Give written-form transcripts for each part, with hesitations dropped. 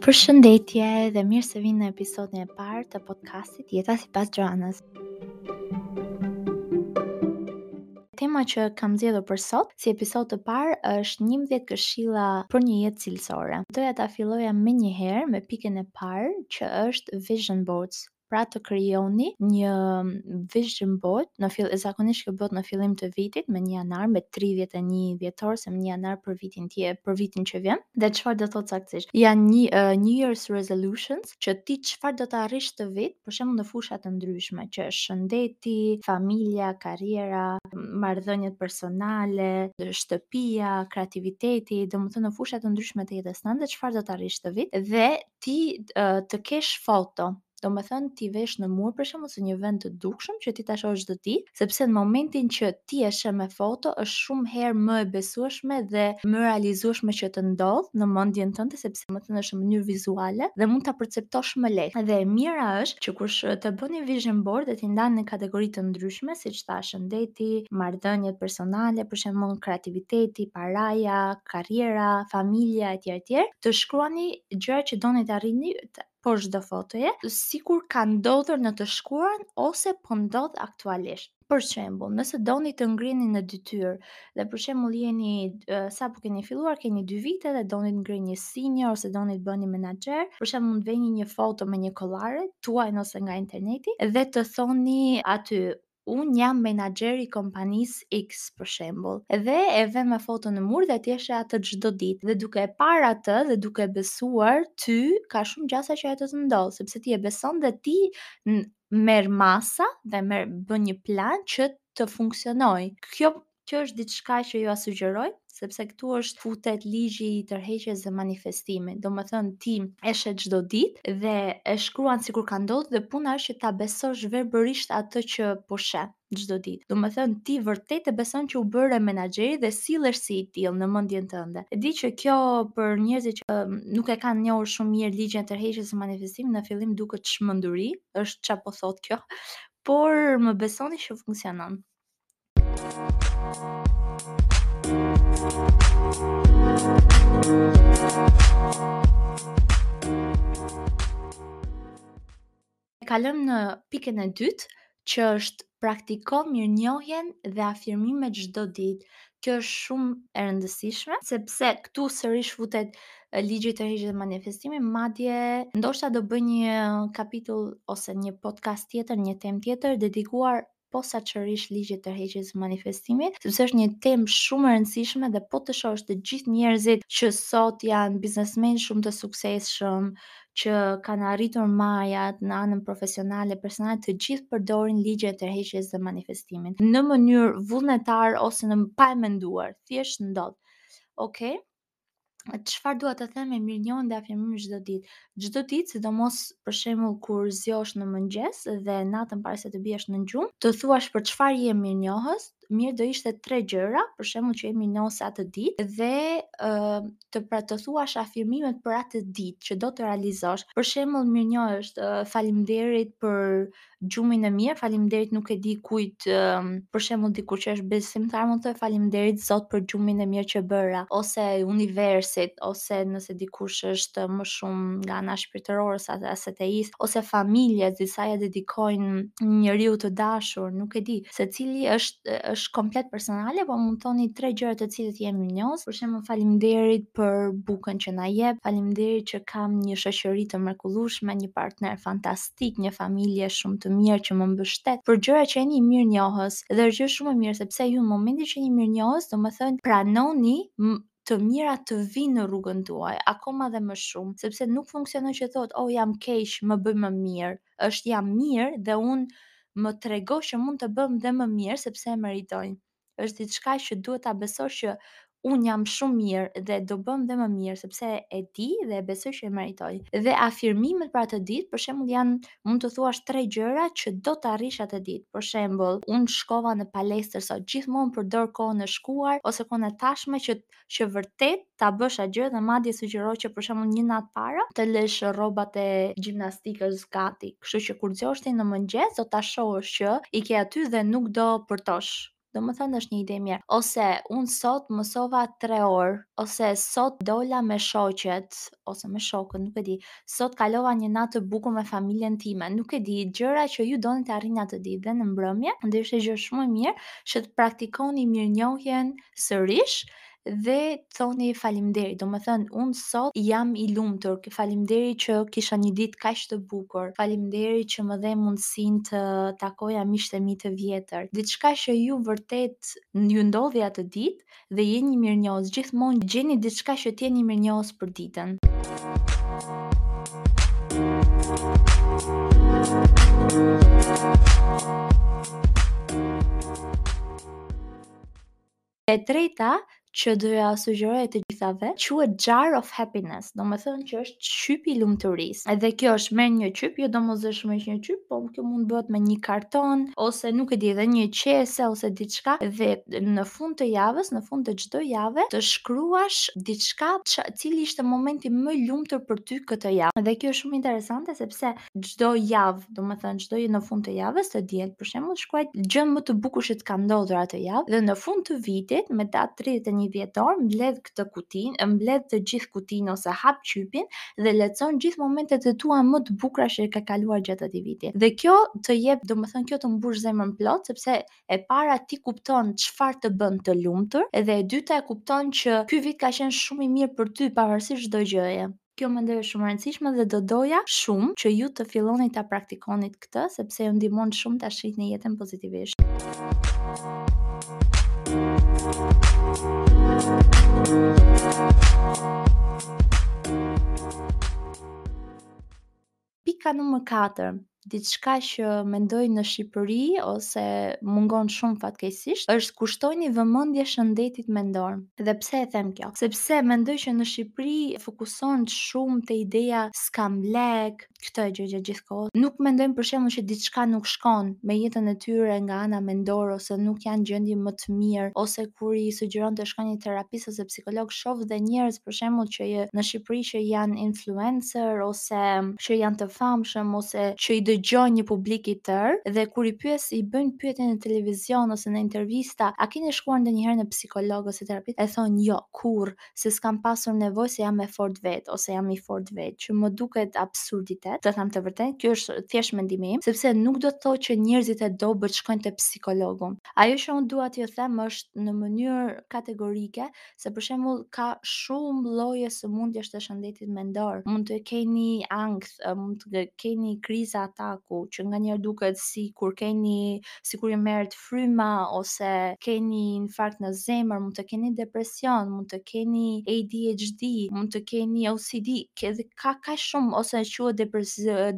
Përshëndetje dhe mirë se vini në episodin e parë të podcastit Jeta sipas Joanës. Tema që kam zgjedhur për sot si episod të parë është 11 këshilla për një jetë cilësore. Doja ta filloja menjëherë me pikën e parë që është vision boards pra të krijoni një vision board në fill zakonisht kjo bëhet në fillim të vitit me 1 janar me 31 dhjetor ose me 1 janar për vitin tjetër për vitin që vjen dhe çfarë do thotë saktësisht janë një uh, New Year's resolutions që ti çfarë do të arrish këtë vit për shembull në fusha të ndryshme që është shëndeti, familja, karriera, marrëdhëniet personale, shtëpia, kreativiteti, domethënë në fusha të ndryshme të jetës tënde çfarë do të arrish këtë vit dhe ti uh, të kesh foto Domethënë t'i vesh në mur për shembull ose një vend të dukshëm që ti ta shohësh çdo ditë, sepse në momentin që ti e sheh me foto është shumë herë më e besueshme dhe më e realizueshme që të ndodh në mendjen tënde sepse domethënë është në mënyrë vizuale dhe mund ta perceptosh më lehtë. Dhe e mira është që kur të bëni vision board dhe t'i ndani në kategori të ndryshme, siç tha shëndeti, marrëdhëniet personale, për shembull kreativiteti, paraja, karriera, familja etj etj, të shkruani gjëra që doni të arrini poshtë çdo fotoje, sikur ka ndodhur në të shkuarën ose po ndodh aktualisht. Për shembull, nëse doni të ngriheni në detyrë dhe për shembull jeni sapo keni filluar, keni 2 vite dhe doni të ngriheni senior ose doni të bëheni menaxher, për shembull mund të veni një foto me një kollare tuajën ose nga interneti dhe të thoni aty unë jam menaxher i kompanisë X për shembull. Dhe e vë me foto në mur dhe ti e sheh atë çdo ditë. Dhe duke e parë atë dhe duke e besuar, ty ka shumë gjasa që ajo të të ndodhë, sepse ti e beson dhe ti merr masa dhe merr bën një plan që të funksionojë. Kjo Kjo është diçka që jua sugjeroj, sepse këtu është futet ligji i tërheqjes dhe manifestimit. Domethënë ti e sheh çdo ditë dhe e shkruan sikur ka ndodhur dhe puna është që ta besosh verbërisht atë që po sheh çdo ditë. Domethënë ti vërtet e beson që u bëre menaxheri dhe sillesh si i tillë në mendjen tënde. E di që kjo për njerëzit që nuk e kanë njohur shumë mirë ligjin e tërheqjes dhe manifestimit në fillim duket çmenduri, është ça po thotë kjo, por më besoni që funksionon. Kalojmë në pikën e dytë, që është praktiko mirënjohjen dhe afirmimet çdo ditë. Kjo është shumë e rëndësishme, sepse këtu sërish futet ligji i tërheqjes dhe manifestimit, madje ndoshta do bëj një kapitull ose një podcast tjetër, një temë tjetër dedikuar posaçërisht ligjit të tërheqjes dhe manifestimit, sepse është një temë shumë e rëndësishme dhe po të shohësh të gjithë njerëzit që sot janë biznesmenë shumë të suksesshëm, që kanë arritur majat në anën profesionale, personale, të gjithë përdorin ligjin e tërheqjes dhe manifestimit në mënyrë vullnetare ose në pa e menduar, thjesht ndodh. Okej. Okay? Çfarë dua të them me mirënjohjen dhe afirmimin çdo ditë? Çdo ditë, sidomos për shembull kur zgjohesh në mëngjes dhe natën para se të biesh në gjumë, të thuash për çfarë je mirënjohës, mirë do ishte tre gjëra, për shembull që je mirënjohës atë ditë dhe ë të pra të thuash afirmimet për atë ditë që do të realizosh. Për shembull, mirënjohje është faleminderit për gjumin e mirë, faleminderit nuk e di kujt, për shembull dikush që është besimtar mund të thotë faleminderit Zot për gjumin e mirë që bëra, ose universit, ose nëse dikush është më shumë nga ana shpirtërore ose ateist, ose familjes, disa ia dedikojnë njeriu të dashur, nuk e di. Secili është është komplet personale, po mund të thoni tre gjëra të cilat jeni mirënjohës. Për shembull, faleminderit për bukën që na jep, faleminderit që kam një shoqëri të mrekullueshme, një partner fantastik, një familje shumë të mirë që më mbështet. Për gjëra që jeni mirënjohës dhe është gjë shumë e mirë sepse ju në momentin që jeni mirënjohës, domethënë pranoni të mira të vijnë në rrugën tuaj, akoma dhe më shumë, sepse nuk funksionon që thotë, oh jam keq, më bëj më mirë. Është jam mirë dhe unë më trego që mund të bëhem dhe më mirë sepse e meritoj. Është diçka që duhet ta besosh që unë jam shumë mirë dhe do bëhem dhe më mirë sepse e di dhe e besoj që e meritoj. Dhe afirmimet për atë ditë, për shembull janë mund të thuash tre gjëra që do të arrish atë ditë. Për shembull, unë shkova në palestër sot, gjithmonë përdor kohën e shkuar ose kohën e tashme që që vërtet ta bësh atë gjë dhe madje sugjeroj që për shembull një natë para të lësh rrobat e gjimnastikës gati. Kështu që kur zgjohesh ti në mëngjes do ta shohësh që i ke aty dhe nuk do përtosh. Domethënë është një ide e mirë. Ose unë sot mësova 3 orë, ose sot dola me shoqet, ose me shokët, nuk e di. Sot kalova një natë të bukur me familjen time, nuk e di, gjëra që ju doni të arrini atë ditë dhe në mbrëmje, do ishte gjë shumë e mirë që të praktikoni mirënjohjen sërish dhe të thoni faleminderit. Domethënë unë sot jam i lumtur, faleminderit që kisha një ditë kaq të bukur, faleminderit që më dhe mundësinë të takoja miqtë e mi të vjetër. Diçka që ju vërtet ju ndodhi atë ditë dhe jeni mirënjohës, gjithmonë gjeni diçka që të jeni mirënjohës për ditën. E treta që do ja sugjeroj të gjithave, quhet Jar of Happiness, domethënë që është qypi i lumturisë. Edhe kjo është merr një qyp, jo domosdoshmërisht një qyp, po kjo mund bëhet me një karton ose nuk e di edhe një qese ose diçka dhe në fund të javës, në fund të çdo jave, të shkruash diçka që, cili ishte momenti më i lumtur për ty këtë javë. Dhe kjo është shumë interesante sepse çdo javë, domethënë çdo në fund të javës, të diel për shembull, shkruaj gjën më të bukur që të ka ndodhur atë javë dhe në fund të vitit, me datë 31 dhjetor, mbledh këtë kutinë, mbledh të gjithë kutinë ose hap qypin dhe lexon gjithë momentet e tua më të bukura që ke kaluar gjatë atij viti. Dhe kjo të jep, domethënë kjo të mbush zemrën plot sepse e para ti kupton çfarë të bën të lumtur dhe e dyta e kupton që ky vit ka qenë shumë i mirë për ty pavarësisht çdo gjëje. Kjo mendoj është shumë e rëndësishme dhe do doja shumë që ju të filloni ta praktikonit këtë sepse ju ndihmon shumë ta shihni jetën pozitivisht. Pika numër 4, diçka që mendoj në Shqipëri ose mungon shumë fatkeqësisht, është kushtojini vëmendje shëndetit mendor. Dhe pse e them kjo? Sepse mendoj që në Shqipëri fokusohen shumë te ideja s'kam lek, këtë e dëgjoj gjatë gjithë kohës. Nuk mendojnë për shembull që diçka nuk shkon me jetën e tyre nga ana mendore ose nuk janë gjendje më të mirë ose kur i sugjeron të shkojnë një terapist ose psikolog, shoh dhe njerëz për shembull që në Shqipëri që janë influencer ose që janë të famshëm ose që i dëgjojnë një publik i tërë dhe kur i pyes i bëjnë pyetje në televizion ose në intervista, a keni shkuar ndonjëherë në psikolog ose terapist? E thonë jo, kurrë, se s'kam pasur nevojë se jam e fortë vetë ose jam i fortë vetë, që më duket absurditet, të them të vërtetën, kjo është thjesht mendimi im, sepse nuk do të thotë që njerëzit e dobët shkojnë te psikologu. Ajo që unë dua t'ju them është në mënyrë kategorike se për shembull ka shumë lloje sëmundjesh të shëndetit mendor. Mund të keni ankth, mund të keni kriza ataku, që nganjëherë duket si kur keni sikur ju merret fryma ose keni infarkt në zemër, mund të keni depresion, mund të keni ADHD, mund të keni OCD, edhe ka kaq shumë ose quhet depres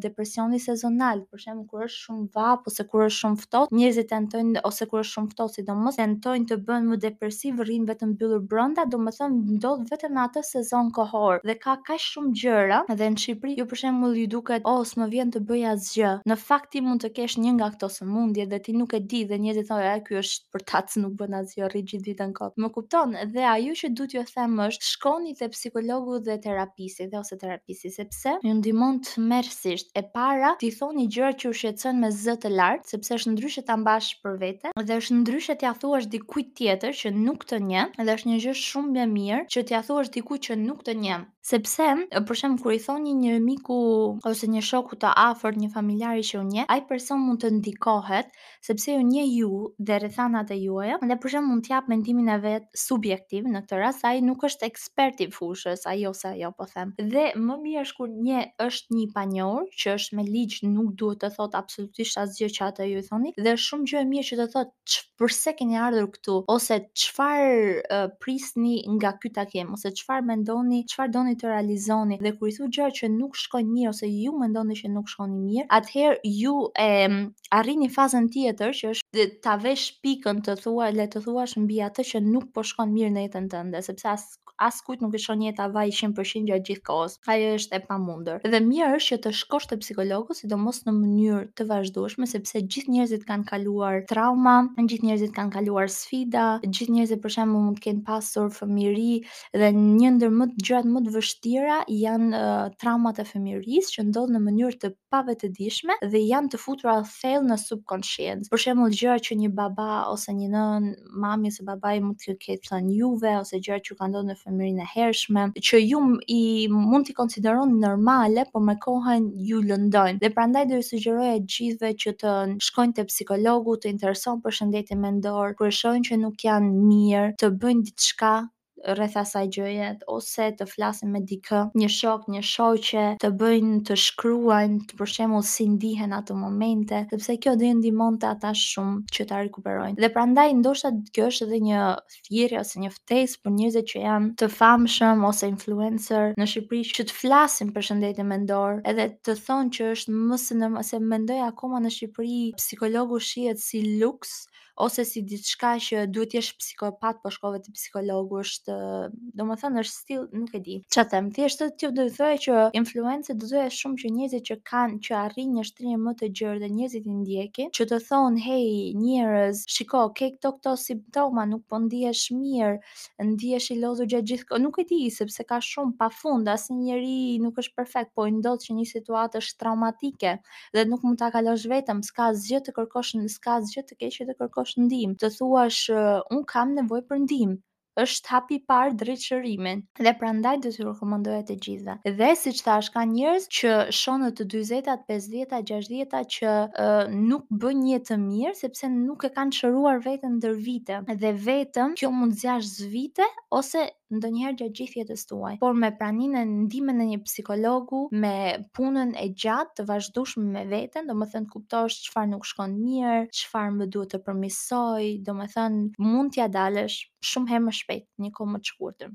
depresioni sezonal, për shembull kur është shumë vapë ose kur është shumë ftohtë, njerëzit tentojnë ose kur është shumë ftohtë sidomos tentojnë të bëhen më depresiv, rrinë vetëm mbyllur brenda, domethënë ndodh vetëm në atë sezon kohor dhe ka kaq shumë gjëra dhe në Shqipëri ju për shembull ju duket oh s'më vjen të bëj asgjë. Në fakt ti mund të kesh një nga këto sëmundje dhe ti nuk e di dhe njerëzit thonë e ky është përtac nuk bën asgjë, rri gjithë ditën kot. Më kupton? Dhe ajo që du t'ju them është shkoni te psikologu dhe terapisti dhe ose terapisti sepse ju ndihmon tmerrësisht. E para, t'i thoni gjërat që ju shqetësojnë me zë të lartë, sepse është ndryshe ta mbash për vete dhe është ndryshe t'ia thuash dikujt tjetër që nuk të njeh dhe është një gjë shumë e mirë që t'ia thuash dikujt që nuk të njeh. Sepse, për shembull, kur i thoni një miku ose një shoku të afërt, një familjari që ju njeh, ai person mund të ndikohet sepse ju njeh ju dhe rrethanat e juaja dhe për shembull mund të jap mendimin e vet subjektiv në këtë rast, ai nuk është ekspert i fushës, ai ose ajo po them. Dhe më mirë është kur një është një i panjohur, që është me ligj nuk duhet të thotë absolutisht asgjë që atë ju i thoni dhe është shumë gjë e mirë që të thotë përse keni ardhur këtu ose çfarë uh, prisni nga ky takim ose çfarë mendoni, çfarë doni të realizoni dhe kur i thu gjëra që nuk shkojnë mirë ose ju mendoni që nuk shkoni mirë, atëherë ju e arrini fazën tjetër që është ta vesh pikën të thua le të thuash mbi atë që nuk po shkon mirë në jetën tënde, sepse as askujt nuk i shkon jeta vaj 100% gjatë gjithë kohës. Ajo është e pamundur. Dhe mirë është që të shkosh te psikologu, sidomos në mënyrë të vazhdueshme, sepse gjithë njerëzit kanë kaluar trauma, gjithë njerëzit kanë kaluar sfida, gjithë njerëzit për shembull mund të kenë pasur fëmijëri dhe një ndër më gjërat më të vështira. vështira janë uh, traumat e fëmijërisë që ndodhin në mënyrë të pavetëdijshme dhe janë të futura thellë në subconsciencë. Për shembull, gjëra që një baba ose një nënë, mami ose babai mund t'ju ketë thënë juve ose gjëra që ju kanë ndodhur në fëmijërinë e hershme, që ju i mund t'i konsideroni normale, por me kohën ju lëndojnë. Dhe prandaj do ju sugjeroja gjithëve që të shkojnë te psikologu, të interesohen për shëndetin mendor, kur e shohin që nuk janë mirë, të bëjnë diçka rreth asaj gjëje ose të flasin me dikë, një shok, një shoqe, të bëjnë të shkruajnë, për shembull si ndihen ato momente, sepse kjo do i ndihmonte ata shumë që ta rikuperojnë. Dhe prandaj ndoshta kjo është edhe një thirrje ose një ftesë për njerëzit që janë të famshëm ose influencer në Shqipëri që të flasin për shëndetin mendor, edhe të thonë që është më se normal, se mendoj akoma në Shqipëri psikologu shihet si luks ose si diçka që duhet të jesh psikopat po shkove te psikologu është, domethënë është still nuk e di. Ça them, thjesht të do të thoja që influencer do doja shumë që njerëzit që kanë që arrijnë një shtrirje më të gjerë dhe njerëzit i ndjekin, që të thonë hey njerëz, shiko, ke këto këto simptoma, nuk po ndihesh mirë, ndihesh i lodhur gjatë gjithë kohës, nuk e di sepse ka shumë pafund, asnjë njeri nuk është perfekt, po i ndodh që një situatë është traumatike dhe nuk mund ta kalosh vetëm, s'ka asgjë të kërkosh, s'ka asgjë të keqe të kërkosh ndihmë, të thuash un kam nevojë për ndihmë është hapi i parë drejt shërimit. Dhe prandaj do t'ju rekomandoja të gjithëve. Dhe siç thash, ka njerëz që shoh në të 40-tat, 50-tat, 60-tat që uh, nuk bëjnë jetë të mirë sepse nuk e kanë shëruar veten ndër vite. Dhe vetëm kjo mund të zgjasë vite ose ndonjëherë gjatë gjithë jetës tuaj. Por me praninë e ndihmën e një psikologu, me punën e gjatë të vazhdueshme me veten, domethënë të kuptosh çfarë nuk shkon mirë, çfarë më duhet të përmirësoj, domethënë mund t'ia dalësh shumë herë më shpejt, një kohë më të shkurtër.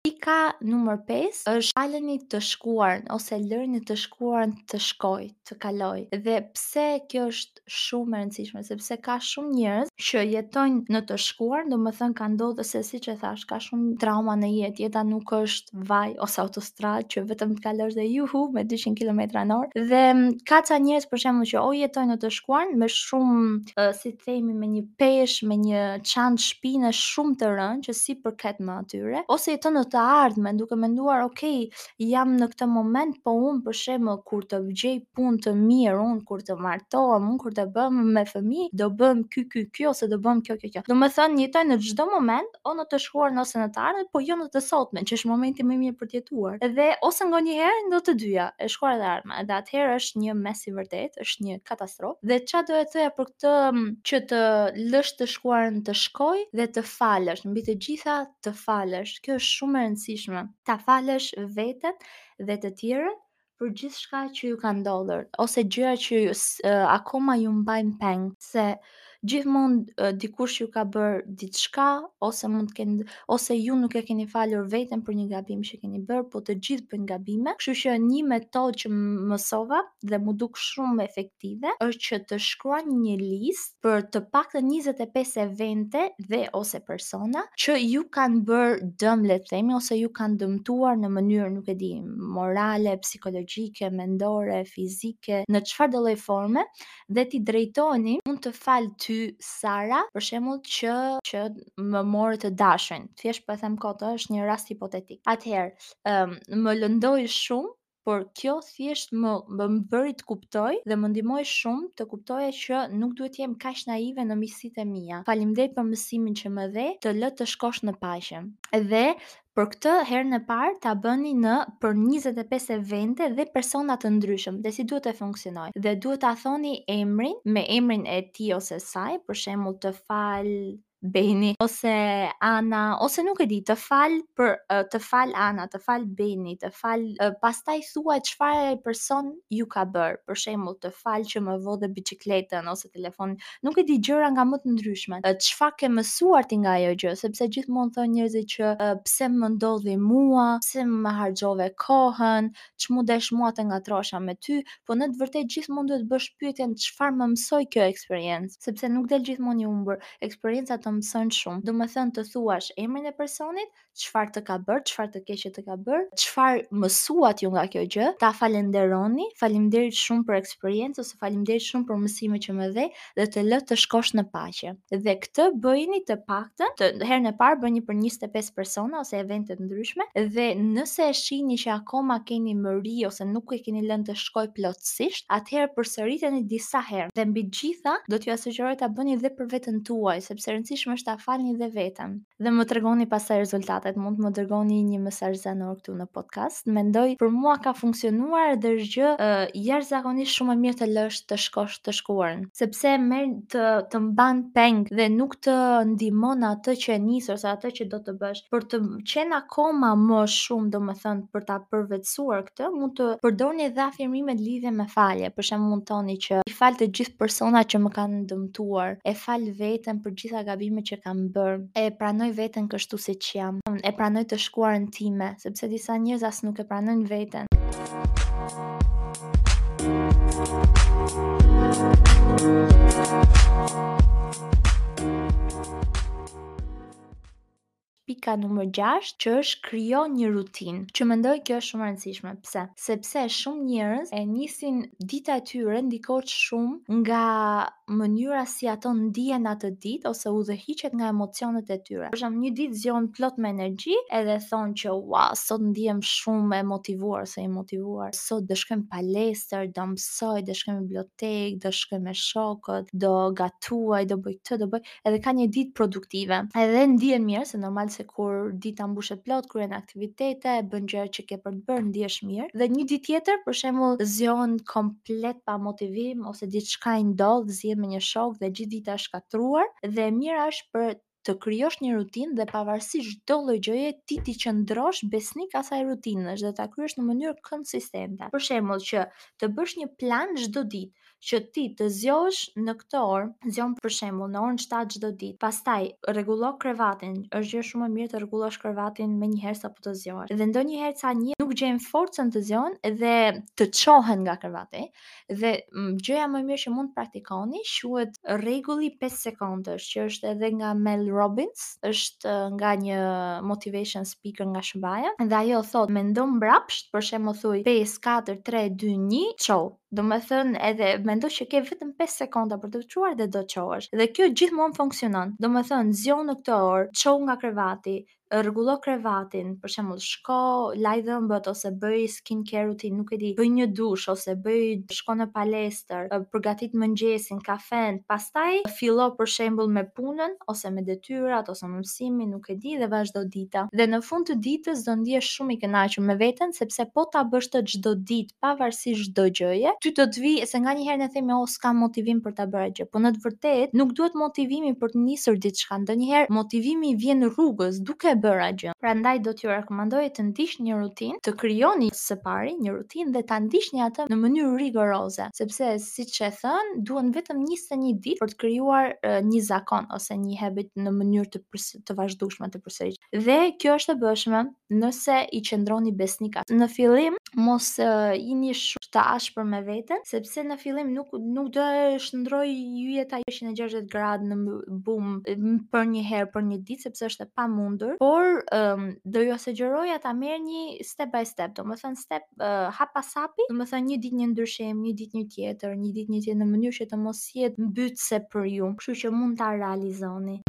Pika numër 5 është faleni të shkuarën ose lëreni të shkuarën të shkojë, të kalojë. Dhe pse kjo është shumë e rëndësishme, sepse ka shumë njerëz që jetojnë në të shkuarën, domethënë ka ndodhur se siç e thash, ka shumë trauma në jetë, jeta nuk është vaj ose autostradë që vetëm të kalosh dhe juhu me 200 km në orë. Dhe ka ca njerëz për shembull që o jetojnë në të shkuarën me shumë si të themi me një peshë, me një çantë shpine shumë të rëndë që s'i përket më atyre, ose jeton në të ardhmen duke menduar, ok, jam në këtë moment, po unë për shembull kur të gjej punë të mirë, unë kur të martohem, unë kur të bëhem me fëmijë, do bëhem ky ky ky ose do bëhem kjo kjo kjo. Domethënë jetojnë në çdo moment, o në të shkuarën ose në të ardhmen, po jo në të sotmen, që është momenti më i mirë për të jetuar. Dhe ose nganjëherë në të dyja, e shkuara dhe e ardhmja. Dhe atëherë është një mess i vërtetë, është një katastrofë. Dhe ça do e thoja për këtë që të lësh të shkuarën të shkojë dhe të falësh, mbi të gjitha të falësh. Kjo është shumë e rëndësishme. Ta falësh veten dhe të tjerët për gjithçka që ju ka ndodhur ose gjëra që ju, akoma ju mbajnë peng se gjithmonë dikush ju ka bërë diçka ose mund të kenë ose ju nuk e keni falur veten për një gabim që keni bërë, po të gjithë bëjnë gabime. Kështu që një metodë që mësova dhe m'u duk shumë efektive është që të shkruani një listë për të paktën 25 evente dhe ose persona që ju kanë bërë dëm le të themi ose ju kanë dëmtuar në mënyrë nuk e di morale, psikologjike, mendore, fizike, në çfarëdo lloj forme dhe t'i drejtoheni unë të fal ty Sara për shembull që që më more të dashurin. Thjesht po e them kot, është një rast hipotetik. Atëherë, um, më lëndoi shumë por kjo thjesht më më bëri të kuptoj dhe më ndihmoi shumë të kuptoja që nuk duhet të jem kaq naive në miqësitë e mia. Faleminderit për mësimin që më dhe, të lë të shkosh në paqe. Dhe për këtë herën e parë ta bëni në për 25 evente dhe persona të ndryshëm dhe si duhet të funksionojë. Dhe duhet ta thoni emrin me emrin e tij ose saj, për shembull të fal Beni ose Ana ose nuk e di, të fal për të fal Ana, të fal Beni, të fal pastaj thuaj çfarë ai person ju ka bërë. Për shembull, të fal që më vodhe biçikletën ose telefonin. Nuk e di gjëra nga më të ndryshme. Çfarë ke mësuar ti nga ajo gjë, sepse gjithmonë thonë njerëzit që pse më ndodhi mua, pse më harxhove kohën, ç'mu desh mua të ngatërrohesha me ty, po në të vërtetë gjithmonë duhet të bësh pyetjen çfarë më mësoi kjo eksperiencë, sepse nuk del gjithmonë i humbur. Eksperienca të do të mësojnë shumë. Domethënë të thuash emrin e personit, çfarë të ka bërë, çfarë të keqe të ka bërë, çfarë mësuat ju nga kjo gjë, ta falenderoni, faleminderit shumë për eksperiencë ose faleminderit shumë për mësimet që më dhe dhe të lë të shkosh në paqe. Dhe këtë bëjeni të paktën, të herën e parë bëjeni për 25 persona ose evente të ndryshme dhe nëse e shihni që akoma keni mëri ose nuk e keni lënë të shkojë plotësisht, atëherë përsëriteni disa herë. Dhe mbi të gjitha, do t'jua sugjeroj ta bëni dhe për veten tuaj, sepse e rëndësishme është ta falni dhe veten. Dhe më tregoni pastaj rezultatet, mund të më dërgoni një mesazh zanor këtu në podcast. Mendoj për mua ka funksionuar dhe është gjë uh, jashtëzakonisht shumë e mirë të lësh të shkosh të shkuarën, sepse merr të të mban peng dhe nuk të ndihmon atë që e nis ose atë që do të bësh. Për të qenë akoma më shumë, domethënë për ta përvetësuar këtë, mund të përdorni edhe afirmime në lidhje me falje. Për shembull, mund të thoni që i fal të gjithë personat që më kanë dëmtuar, e fal veten për gjitha gabimet që kam bërë, e pranoj veten kështu siç jam, e pranoj të shkuarën time, sepse disa njerëz as nuk e pranojnë veten. Pika numër 6, që është krijo një rutinë, që mendoj kjo është shumë e rëndësishme. Pse? Sepse shumë njerëz e nisin dita e tyre ndikohet shumë nga mënyra si ato ndihen atë ditë ose udhëhiqet nga emocionet e tyre. Për shembull, një ditë zgjohen plot me energji edhe thonë që ua, sot ndihem shumë e motivuar ose i motivuar. Sot do shkoj në palestër, do mësoj, do shkoj në bibliotekë, do shkoj me shokët, do gatuaj, do bëj këtë, do bëj edhe ka një ditë produktive. Edhe ndihen mirë, se normal se kur dita mbushet plot, kryen aktivitete, bën gjëra që ke për të bërë, ndihesh mirë. Dhe një ditë tjetër, për shembull, zgjohen komplet pa motivim ose diçka i ndodh, zihen me një shok dhe gjithë dita është shkatërruar dhe e mira është për të krijosh një rutinë dhe pavarësisht çdo lloj gjëje ti t'i qëndrosh besnik asaj rutine dhe ta kryesh në mënyrë konsistente. Për shembull, që të bësh një plan çdo ditë, që ti të zgjohesh në këtë orë, zgjohem për shembull në orën 7 çdo ditë. Pastaj rregullo krevatin, është gjë shumë e mirë të rregullosh krevatin menjëherë sapo të zgjohesh. Dhe ndonjëherë ca njerëz nuk gjejnë forcën të zgjohen dhe të çohen nga krevati. Dhe gjëja më e mirë që mund të praktikoni quhet rregulli 5 sekondësh, që është edhe nga Mel Robbins, është nga një motivation speaker nga SHBA-ja dhe ajo thotë mendo mbrapsht, për shembull thuj 5 4 3 2 1, çohu. Domethënë edhe mendo që ke vetëm 5 sekonda për t'u çuar dhe do çohesh. Dhe kjo gjithmonë funksionon. Domethënë zgjohu në këtë orë, çohu nga krevati, rregullo krevatin, për shembull, shko laj dhëmbët ose bëj skin care routine, nuk e di, bëj një dush ose bëj shko në palestër, përgatit mëngjesin, kafen, pastaj fillo për shembull me punën ose me detyrat ose me mësimin, nuk e di dhe vazhdo dita. Dhe në fund të ditës do ndihesh shumë i kënaqur me veten sepse po ta bësh të çdo ditë pavarësisht çdo gjëje, ty do të vijë se nganjëherë ne themi oh s'kam motivim për ta bërë atë gjë, po në të vërtetë nuk duhet motivimi për të nisur diçka, ndonjëherë motivimi vjen rrugës duke e bërë atë gjë. Prandaj do t'ju rekomandoja të ndiqni një rutinë, të krijoni së pari një rutinë dhe ta ndiqni atë në mënyrë rigoroze, sepse siç e thënë, duhen vetëm 21 ditë për të krijuar një zakon ose një habit në mënyrë të të vazhdueshme të përsëritshme. Dhe kjo është e bëshme nëse i qëndroni besnik. Në fillim mos uh, jini shumë të ashpër me veten, sepse në fillim nuk nuk do e shndërrojë jeta 160 gradë në bum për një herë për një ditë, sepse është e pamundur, por um, do ju sugjeroja ta merrni step by step, domethënë step uh, hap pas hapi, domethënë një ditë një ndryshim, një ditë një tjetër, një ditë një tjetër në mënyrë që të mos jetë mbytëse për ju, kështu që mund ta realizoni.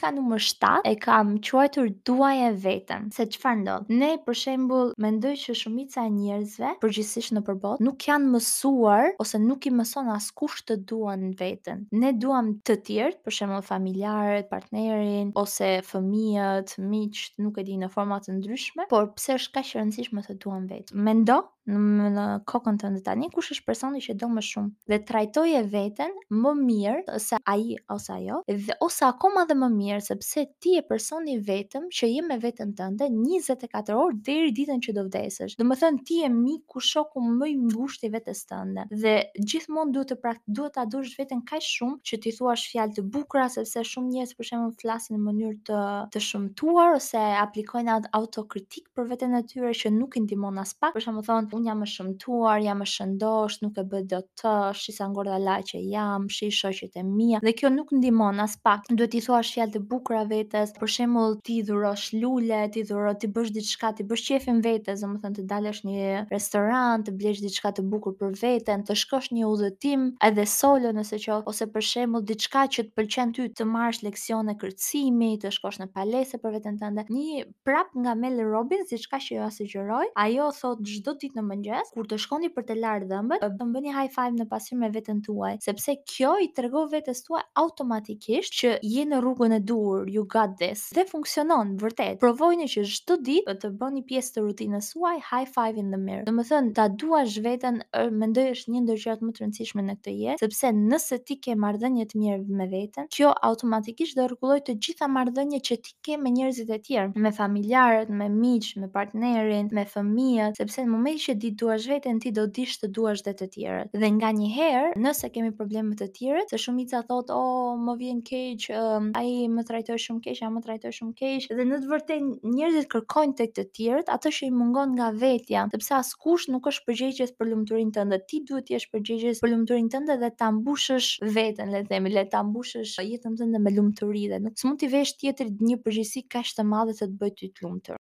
Pika numër 7 e kam quajtur duaje veten. Se çfarë ndodh? Ne për shembull mendoj që shumica e njerëzve, përgjithsisht nëpër botë, nuk janë mësuar ose nuk i mëson askush të duan veten. Ne duam të tjerët, për shembull familjarët, partnerin ose fëmijët, miqtë, nuk e di në forma të ndryshme, por pse është kaq e rëndësishme të duam veten? Mendo Në, në kokën tënde tani kush është personi që do më shumë dhe trajtoje veten më mirë se ai ose ajo dhe ose akoma dhe më mirë sepse ti je personi i vetëm që je me veten tënde 24 orë deri ditën që do vdesësh. Domethënë ti je miku, shoku më i ngushtë i vetes tënde dhe gjithmonë duhet të prak duhet ta duash veten kaq shumë që t'i thuash fjalë të bukura sepse shumë njerëz për shembull flasin në mënyrë të të shëmtuar ose aplikojnë atë autokritikë për veten e tyre që nuk i ndihmon aspak. Për shembull thonë, unë jam e shëmtuar, jam e shëndoshë, nuk e bëj dot të, shi sa ngordhalaqe jam, shi shoqet e mia. Dhe kjo nuk ndihmon aspak. Duhet t'i thuash fjalë të bukura vetes, për shembull t'i dhurosh lule, t'i dhuro, t'i bësh diçka, t'i bësh qejfin vetes, domethënë të dalësh në një restorant, të blesh diçka të bukur për veten, të shkosh një udhëtim edhe solo nëse qoftë, ose për shembull diçka që të pëlqen ty, të marrësh leksione kërcimi, të shkosh në palestër për veten tënde. Një prap nga Mel Robbins, diçka që jua sugjeroj, ajo thotë çdo ditë në mëngjes, kur të shkoni për të larë dhëmbët, të bëni high five në pasqyrë me veten tuaj, sepse kjo i tregon vetes tuaj automatikisht që je në rrugën e duhur, you got this. Dhe funksionon vërtet. Provojeni që çdo ditë të bëni pjesë të rutinës suaj high five in the mirror. Domethënë, ta duash veten, mendoj është një ndër gjërat më të rëndësishme në këtë jetë, sepse nëse ti ke marrëdhënie të mirë me veten, kjo automatikisht do rregullojë të gjitha marrëdhëniet që ti ke me njerëzit e tjerë, me familjarët, me miqtë, me partnerin, me fëmijët, sepse në momentin që ti duash veten, ti do dish të duash dhe të tjerët. Dhe nganjëherë, nëse kemi probleme me të tjerët, se shumica thotë, "Oh, më vjen keq, um, ai më trajtoi shumë keq, ajo më trajtoi shumë keq." Dhe në të vërtetë njerëzit kërkojnë tek të tjerët atë që i mungon nga vetja, sepse askush nuk është përgjegjës për lumturinë tënde. Ti duhet të jesh përgjegjës për lumturinë tënde dhe ta mbushësh veten, le të themi, le ta mbushësh jetën tënde me lumturi dhe nuk s'mund t'i vesh tjetrit një përgjegjësi kaq të madhe të të bëjë ty të lumtur.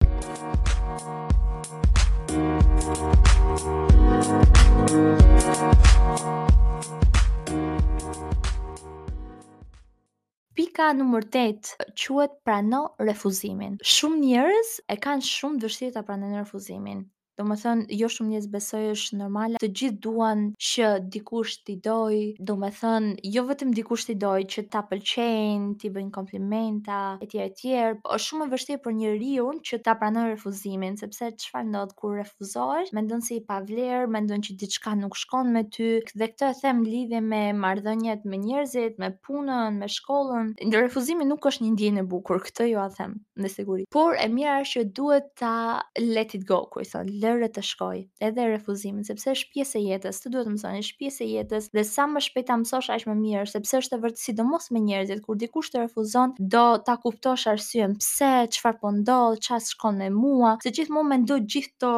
Pika numër 8 quhet prano refuzimin. Shumë njerëz e kanë shumë të vështirë ta pranojnë refuzimin. Domethënë, jo shumë njerëz besoj është normale, të gjithë duan që dikush t'i dojë, domethënë, jo vetëm dikush t'i dojë, që ta pëlqejnë, t'i bëjnë komplimenta, etj etj. Është shumë e vështirë për njeriun që ta pranojë refuzimin, sepse çfarë ndodh kur refuzohesh, mendon se je i pavlerë, mendon që diçka nuk shkon me ty, dhe këtë e them në lidhje me marrëdhëniet me njerëzit, me punën, me shkollën. Refuzimi nuk është një ndjenjë e bukur, këtë jua them me siguri. Por e mira është që duhet ta let it go, kur i thonë, lëre të shkojë, edhe refuzimin, sepse është pjesë e jetës, të duhet të mësoni, është pjesë e jetës dhe sa më shpejt ta mësosh aq më mirë, sepse është e vërtetë sidomos me njerëzit, kur dikush të refuzon, do ta kuptosh arsyen pse, çfarë po ndodh, çfarë s'shkon me mua, se gjithmonë mendo gjithë këto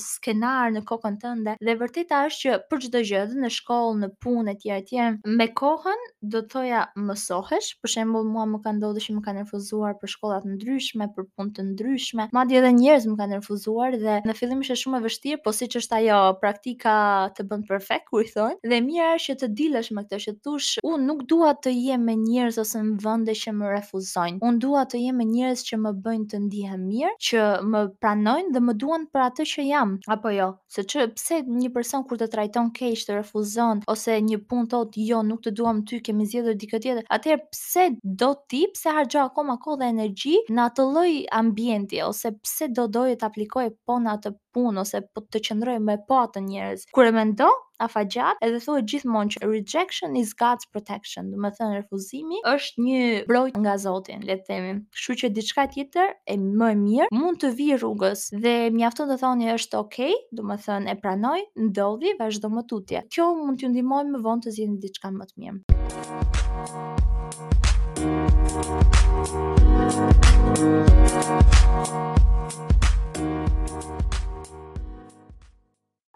skenarë në kokën tënde dhe e vërteta është që për çdo gjë, edhe në shkollë, në punë etj etj, me kohën do të thoja mësohesh, për shembull mua më ka ndodhur që më kanë refuzuar për shkolla të ndryshme, për punë të ndryshme, madje edhe njerëz më kanë refuzuar dhe në fillim ishte shumë e vështirë, po siç është ajo praktika të bën perfekt kur i thonë, dhe e mira është që të dilesh me këtë që të thush, unë nuk dua të jem me njerëz ose në vende që më refuzojnë. Unë dua të jem me njerëz që më bëjnë të ndihem mirë, që më pranojnë dhe më duan për atë që jam, apo jo? Se që pse një person kur të trajton keq, të refuzon ose një punë thotë jo, nuk të duam ty, kemi zgjedhur dikë tjetër. Atëherë pse do ti, pse harxho akoma kohë dhe energji në atë lloj ambienti ose pse do doje të aplikoje po në atë punë ose po të qëndroje me po atë njerëz. Kur e mendo afatgjatë, edhe thuhet gjithmonë që rejection is God's protection, domethënë refuzimi është një mbrojtje nga Zoti, le të themi. Kështu që diçka tjetër e më e mirë mund të vijë rrugës dhe mjafton të thoni është okay, domethënë e pranoj, ndodhi, vazhdo më tutje. Kjo mund t'ju ndihmojë më vonë të zgjidhni diçka më të mirë.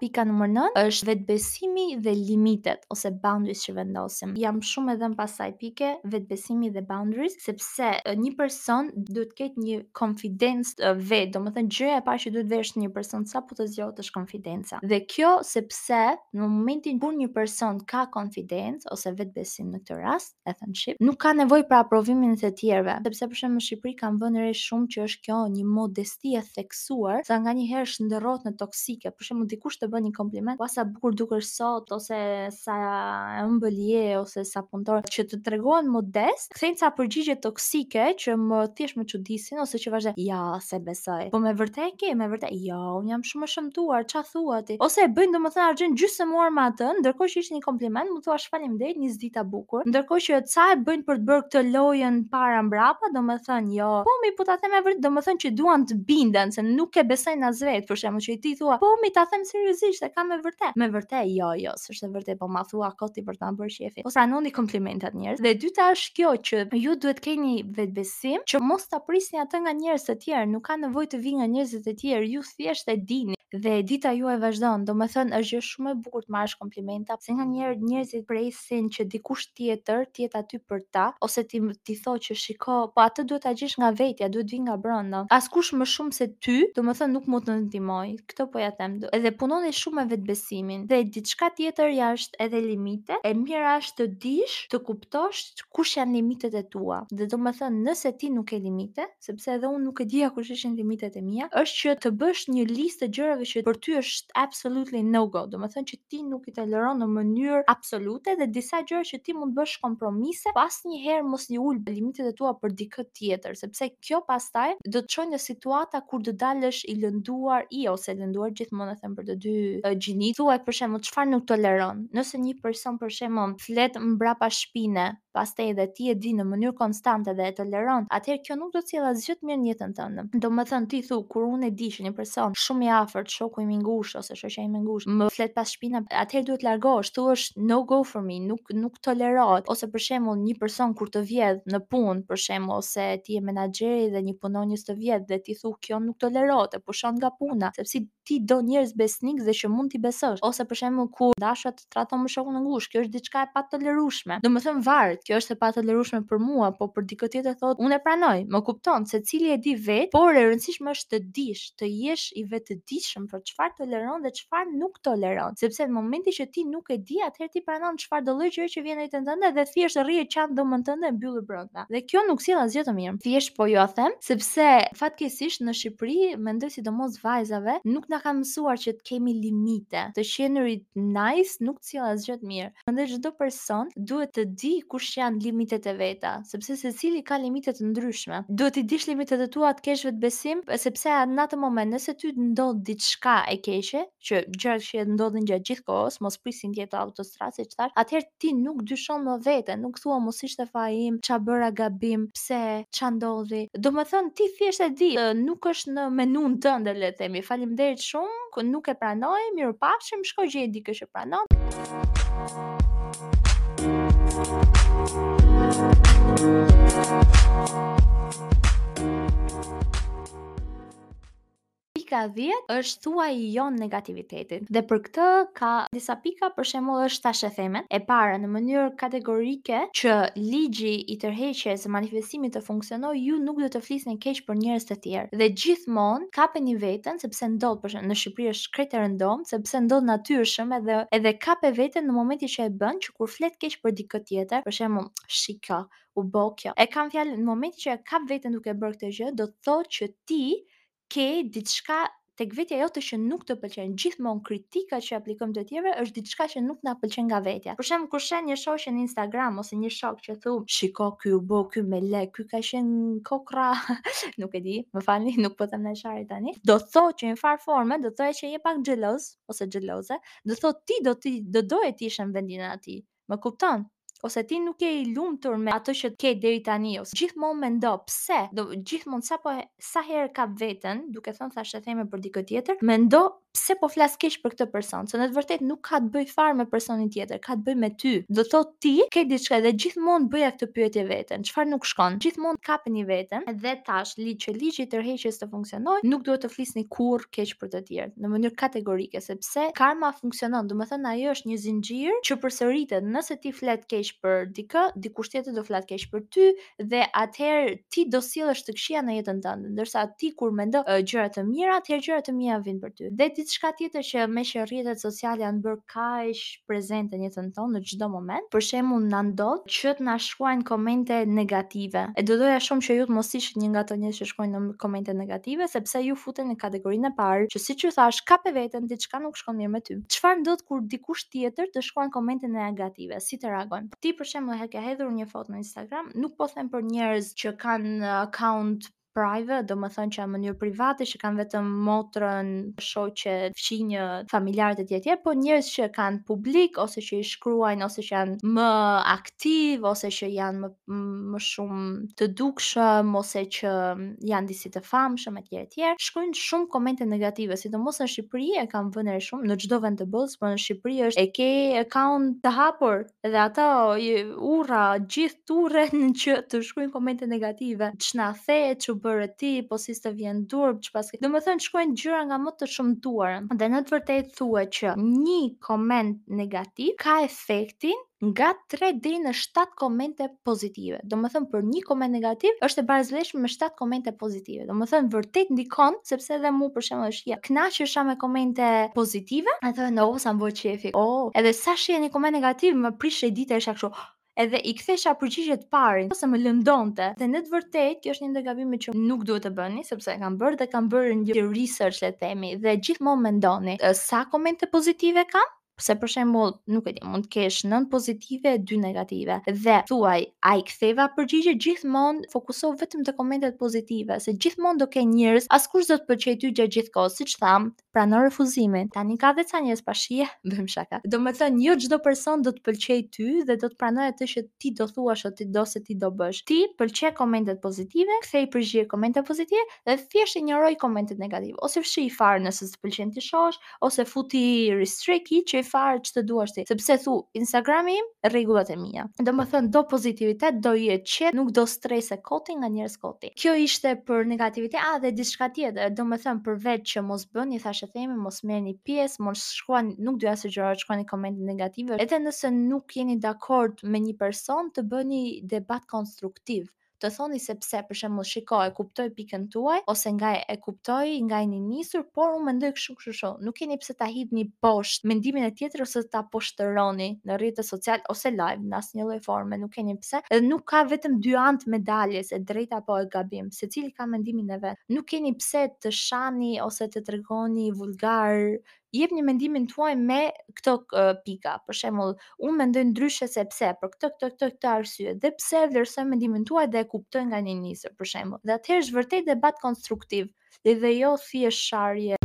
Pika numër 9 është vetbesimi dhe limitet ose boundaries që vendosim. Jam shumë e dhënë pas kësaj pike, vetbesimi dhe boundaries, sepse një person duhet të ketë një konfidencë vetë, domethënë gjëja e parë që duhet vesh një person sapo të zgjohet është konfidenca. Dhe kjo sepse në momentin kur një person ka konfidencë ose vetbesim në këtë rast, e thënë shqip, nuk ka nevojë për aprovimin e të tjerëve, sepse për shembull në Shqipëri kam vënë re shumë që është kjo një modesti e theksuar, sa nganjëherë shndërrohet në toksike. Për shembull, dikush të bën një kompliment, "Ua sa bukur dukesh sot", zot ose sa e ëmbël je ose sa punëtor që të tregohen modest, kthejnë ca përgjigje toksike që më thjesht më çudisin ose që vazhdojnë, ja, s'e besoj. Po me vërtet e ke, me vërtet, jo, unë jam shumë e shëmtuar, ça thua ti? Ose e bëjnë domethënë harxhojnë gjysmë orë me atë, ndërkohë që ishte një kompliment, mund thuash faleminderit, nis dita bukur. Ndërkohë që ca e bëjnë për të bërë këtë lojën para mbrapa, domethënë jo, po mi po ta them e vërtet, domethënë që duan të binden se nuk e besojnë as vetë, për shembull që ti thua, po mi ta them seriozisht, e kam me vërtet. Me vërtet, jo, jo, s'është e vërtet, po ma thua kot ti për të ma bërë qejfin. Po pranoni komplimentat njerëz. Dhe e dyta është kjo që ju duhet keni vetbesim që mos ta prisni atë nga njerëz të tjerë, nuk ka nevojë të vijë nga njerëzit e tjerë, ju thjesht e dini dhe dita juaj vazhdon. Domethënë është gjë shumë e bukur të marrësh komplimenta, se nganjëherë njerëzit presin që dikush tjetër të jetë aty për ta ose ti t'i thotë që shiko, po atë duhet ta gjesh nga vetja, duhet të vijë nga brenda. Askush më shumë se ty, domethënë nuk mund të ndihmojë. Këtë po ja them. Edhe punoni shumë me vetbesimin. Dhe diçka tjetër është edhe limite. E mira është të dish, të kuptosh kush janë limitet e tua. Dhe domethënë nëse ti nuk ke limite, sepse edhe unë nuk e dija kush ishin limitet e mia, është që të bësh një listë të gjërave që për ty është absolutely no go, domethënë që ti nuk i toleron në mënyrë absolute dhe disa gjëra që ti mund të bësh kompromise, po asnjëherë mos i ul limitet e tua për dikë tjetër, sepse kjo pastaj do të çojë në situata kur do dalësh i lënduar i ose lënduar gjithmonë e them për të dy gjinitë. Thuaj për shembull çfarë nuk toleron. Nëse një person për shembull flet mbrapa shpine, pastaj edhe ti e di në mënyrë konstante dhe e toleron, atëherë kjo nuk do të sjellë asgjë të mirë në jetën tënde. Domethënë ti thu kur unë e di që një person shumë i afërt, shoku im i ngushtë ose shoqja ime e ngushtë, më flet pas shpine, atëherë duhet largohesh, thuash no go for me, nuk nuk tolerohet. Ose për shembull një person kur të vjedh në punë, për shembull, ose ti je menaxheri dhe një punonjës të vjedh dhe ti thu kjo nuk tolerohet, e pushon nga puna, sepse ti do njerëz besnik dhe që mund t'i besosh. Ose për shembull kur dashura të tradhton me shokun e ngushtë, kjo është diçka e patolerueshme. Domethënë varet, kjo është e patolerueshme për mua, po për dikë tjetër thotë unë e pranoj, më kupton, secili e di vetë, por e rëndësishme është të dish, të jesh i vetëdijshëm për çfarë toleron dhe çfarë nuk toleron. Sepse në momentin që ti nuk e di, atëherë ti pranon çfarëdo lloj gjëje që vjen në jetën tënde dhe thjesht rri e qan dhomën tënde e mbyllur brenda. Dhe kjo nuk sjell asgjë të mirë. Thjesht po jua them, sepse fatkeqësisht në Shqipëri, mendoj sidomos vajzave, nuk na kanë mësuar që të kemi limite. Të qenurit nice nuk të sjell asgjë të mirë. Mendoj çdo person duhet të di kush janë limitet e veta, sepse secili ka limite të ndryshme. Duhet t'i dish limitet e tua, të kesh vetbesim, sepse në atë moment nëse ty të ndodh diçka e keqe, që gjërat e këqija ndodhin gjatë gjithë kohës, mos prisni të jetë autostradë siç thash, atëherë ti nuk dyshon më veten, nuk thua mos ishte faji im, ça bëra gabim, pse, ça ndodhi. Domethënë ti thjesht e di, nuk është në menun tënde le të themi. Faleminderit shumë, nuk e pranoj, mirupafshim, shko gjej dikë që pranon. Pika 10 është thuaji jo negativitetit. Dhe për këtë ka disa pika, për shembull është thashethemet. E para, në mënyrë kategorike që ligji i tërheqjes së manifestimit të funksionojë, ju nuk duhet të flisni keq për njerëz të tjerë. Dhe gjithmonë kapeni veten sepse ndodh për shembull në Shqipëri është krejt e rëndomtë, sepse ndodh natyrshëm edhe edhe kape veten në momentin që e bën, që kur flet keq për dikë tjetër, për shembull, shiko, u bë kjo. E kam fjalën në momentin që e kap veten duke bërë këtë gjë, do të thotë që ti ke diçka tek vetja jote që nuk të pëlqen. Gjithmonë kritika që aplikojmë të tjerëve është diçka që nuk na pëlqen nga vetja. Për shembull, kur sheh një shoqe në Instagram ose një shok që thu, "Shiko, ky u bë, ky me lek, ky ka qenë kokra", nuk e di, më falni, nuk po them ndonjë sharje tani. Do thotë që në farë forme, do thoja që je pak xheloz ose xheloze, do thotë ti do ti do doje të ishe në vendin e atij. Më kupton? Ose ti nuk je i lumtur me atë që ke deri tani ose gjithmonë mendo pse, do gjithmonë sapo sa herë kap veten duke thënë thashetheme për dikë tjetër, mendo pse po flas keq për këtë person, se në të vërtetë nuk ka të bëjë fare me personin tjetër, ka të bëjë me ty. Do thotë ti ke diçka dhe gjithmonë bëja këtë pyetje veten, çfarë nuk shkon? Gjithmonë kapeni veten dhe tash ligj që ligji i tërheqjes të funksionojë, nuk duhet të flisni kurrë keq për të tjerë në mënyrë kategorike, sepse karma funksionon, domethënë ajo është një zinxhir që përsëritet, nëse ti flet keq. keq për dikë, dikush tjetër do flasë keq për ty dhe atëherë ti do sjellësh të këqija në jetën tënde, ndërsa ti kur mendon gjëra të mira, atëherë gjëra të mira vijnë për ty. Dhe diçka tjetër që meqë rrjetet sociale janë bërë kaq prezente në jetën tonë në çdo moment, për shembull na ndodh që të na shkruajnë komente negative. E do doja shumë që ju të mos ishit një nga ato njerëz që shkruajnë komente negative, sepse ju futeni në kategorinë e parë, që siç ju thashë, kape veten, diçka nuk shkon mirë me ty. Çfarë ndodh kur dikush tjetër të shkruan komente negative? Si të reagojmë? Ti për shembull e ke hedhur një foto në Instagram, nuk po them për njerëz që kanë account private, domethënë që në mënyrë private, që kanë vetëm motrën, shoqe, fqinjë, familjarët e tjerë tjerë, po njerëz që kanë publik ose që i shkruajnë ose që janë më aktiv ose që janë më më shumë të dukshëm ose që janë disi të famshëm etj etj, shkruajnë shumë komente negative, sidomos në Shqipëri e kam vënë re shumë në çdo vend të botës, por në Shqipëri është e ke account të hapur dhe ato urra gjithë turren që të shkruajnë komente negative. Ç'na the, ç'u bëre ti, po si s'të vjen turp, ç'paske. Domethënë shkruajnë gjëra nga më të shëmtuara. Dhe në të vërtetë thuhet që një koment negativ ka efektin nga 3 deri në 7 komente pozitive. Domethënë për një koment negativ është e barasvlefshme me 7 komente pozitive. Domethënë vërtet ndikon, sepse edhe mu për shembull është ja, kënaqesha me komente pozitive, e thonë oh sa më bëhet qefi. Oh, edhe sa shihja një koment negativ më prishej dita isha kështu edhe i kthesha përgjigje të parin, ose më lëndonte. Dhe në të vërtetë, kjo është një ndër gabimet që nuk duhet të bëni, sepse e kam bërë dhe kam bërë një research le të themi, dhe gjithmonë mendoni sa komente pozitive kam, Se për shembull, nuk e di, mund të kesh 9 pozitive e 2 negative. Dhe thuaj, a i ktheva përgjigje gjithmonë fokusohu vetëm te komentet pozitive, se gjithmonë do ke njerëz, askush s'do të pëlqejë ty gjatë gjithë kohës, siç thamë, prano refuzimin. Tani ka dhe ca njerëz pa shije, bëjmë shaka. Domethënë, jo çdo person do të pëlqejë ty dhe do të pranojë atë që ti do thuash ose ti do se ti do bësh. Ti pëlqe komentet pozitive, kthej përgjigje komente pozitive dhe thjesht injoroj komentet negative ose fshij fare nëse s'të pëlqen t'i shohësh ose futi restrict hiqi fare ç'të duash ti, sepse thu Instagrami im, rregullat e mia. Domethënë do pozitivitet, do jetë qetë, nuk do strese koti nga njerëz koti. Kjo ishte për negativitet, a dhe diçka tjetër, domethënë përveç që mos bëni thashetheme, mos merrni pjesë, mos shkruani, nuk do ja sugjeroj të shkruani komente negative, edhe nëse nuk jeni dakord me një person, të bëni debat konstruktiv të thoni se pse, për shembull, shiko, e kuptoj pikën tuaj ose nga e kuptoj nga jeni nisur, por unë mendoj kështu kështu kështu. Nuk keni pse ta hidhni poshtë mendimin e tjetrit ose ta poshtëroni në rrjetet sociale ose live në asnjë lloj forme, nuk keni pse. Edhe nuk ka vetëm dy anë të medaljes, e drejtë apo e gabim. Secili ka mendimin e vet. Nuk keni pse të shani ose të tregoni vulgar jepni mendimin tuaj me këto pika. Për shembull, unë mendoj ndryshe sepse për këtë këtë këtë këtë arsye dhe pse e vlerësoj mendimin tuaj dhe e kuptoj nga jeni nisur, për shembull. Dhe atëherë është vërtet debat konstruktiv dhe dhe jo thjesht sharje.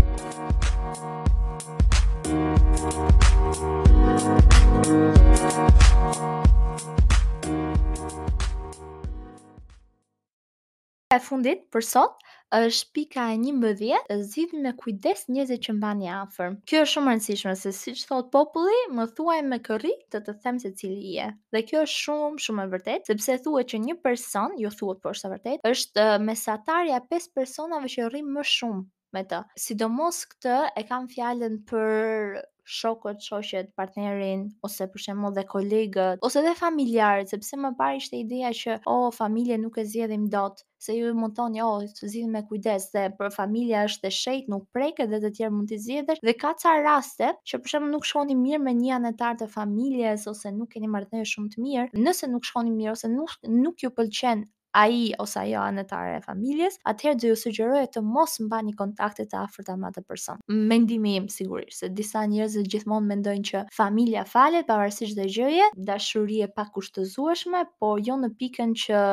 E fundit për sot është pika e 11, zgjidhni me kujdes njerëzit që mbani afër. Kjo është shumë e rëndësishme se siç thotë populli, më thuaj me kë rri, të të them se cili je. Dhe kjo është shumë shumë e vërtetë, sepse thuhet që një person, jo thuhet por është e vërtetë, është mesatarja e 5 personave që rri më shumë me të. Sidomos këtë e kam fjalën për shokët, shoqet, partnerin ose për shembull dhe kolegët ose dhe familjarët, sepse më parë ishte ideja që oh, familjen nuk e zgjedhim dot, se ju mund thoni oh, të zgjidhim me kujdes dhe për familja është e shenjtë, nuk preket dhe të tjerë mund t'i zgjedhësh dhe ka ca raste që për shembull nuk shkoni mirë me një anëtar të familjes ose nuk keni marrëdhënie shumë të mirë, nëse nuk shkoni mirë ose nuk nuk ju pëlqen ai ose ajo anëtare e familjes, atëherë do ju sugjeroja të mos mbani kontakte të afërta me atë person. Mendimi im sigurisht, se disa njerëz gjithmonë mendojnë që familja falet pavarësisht çdo gjëje, dashuri e pakushtëzueshme, po jo në pikën që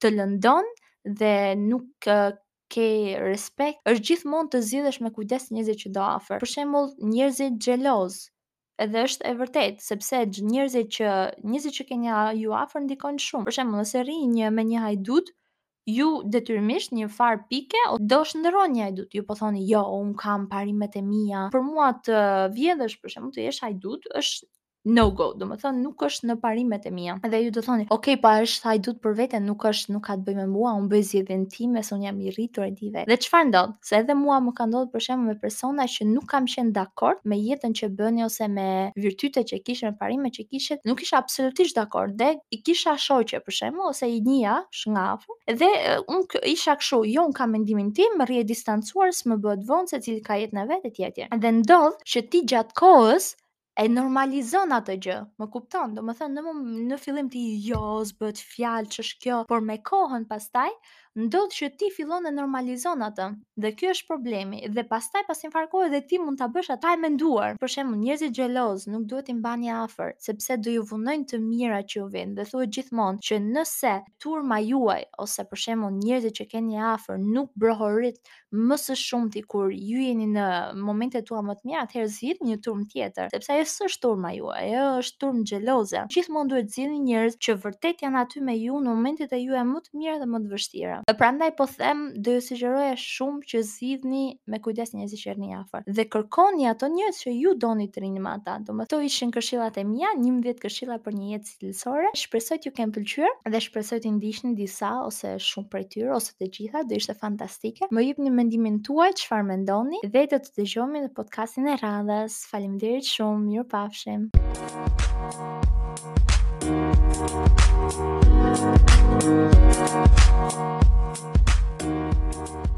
të lëndon dhe nuk ke respekt, është gjithmonë të zgjidhësh me kujdes njerëzit që do afër. Për shembull, njerëzit xheloz, Edhe është e vërtetë, sepse njerëzit që njerëzit që keni ju afër ndikojnë shumë. Për shembull, nëse rrini një me një hajdut, ju detyrimisht një farë pike do shndërroheni në hajdut. Ju po thoni, "Jo, un kam parimet e mia." Për mua të vjedhësh, për shembull, të jesh hajdut është No go, domethënë nuk është në parimet e mia. Dhe ju do thoni, ok, po është hajdut për vete, nuk është, nuk ka të bëjë me mua, unë bëj zgjedhjen time, se unë jam i rritur e di vetë. Dhe çfarë ndodh? Se edhe mua më ka ndodhur për shembull me persona që nuk kam qenë dakord me jetën që bënin ose me virtytet që kishin, me parimet që kishin, nuk isha absolutisht dakord dhe i kisha shoqe për shembull ose i njihja nga afër. Dhe unë isha kështu, jo unë kam mendimin tim, rri e distancuar, s'më bëhet vonë, secili ka jetën e vet etj etj. Dhe ndodh që ti gjatë kohës e normalizon atë gjë, më kupton? Domethënë në në fillim ti jo, s'bëhet fjalë, ç'është kjo, por me kohën pastaj ndodh që ti fillon e normalizon atë. Dhe ky është problemi. Dhe pastaj pas një farë kohe dhe ti mund ta bësh atë pa e menduar. Për shembull, njerëzit xheloz nuk duhet t'i mbani afër, sepse do ju vonojnë të mirat që ju vijnë. Dhe thuhet gjithmonë që nëse turma juaj ose për shembull njerëzit që keni afër nuk brohorit më së shumti kur ju jeni në momentet tua më të mira, atëherë zgjidhni një turmë tjetër, sepse ajo s'është turma juaj, ajo është turmë xheloze. Gjithmonë duhet zgjidhni njerëz që vërtet janë aty me ju në momentet e juaja më të mira dhe më të vështira. Dhe prandaj po them, do ju sugjeroja shumë që zgjidhni me kujdes njerëzit që rrini afër dhe kërkoni ato njerëz që ju doni të rrini me ata. Domethënë, këto ishin këshillat e mia, 11 këshilla për një jetë cilësore. Shpresoj t'ju kenë pëlqyer dhe shpresoj t'i ndiqni disa ose shumë prej tyre ose të gjitha, do ishte fantastike. Më jepni mendimin tuaj, çfarë mendoni dhe do të dëgjohemi në podcastin e radhës. Faleminderit shumë, mirupafshim. Thank you.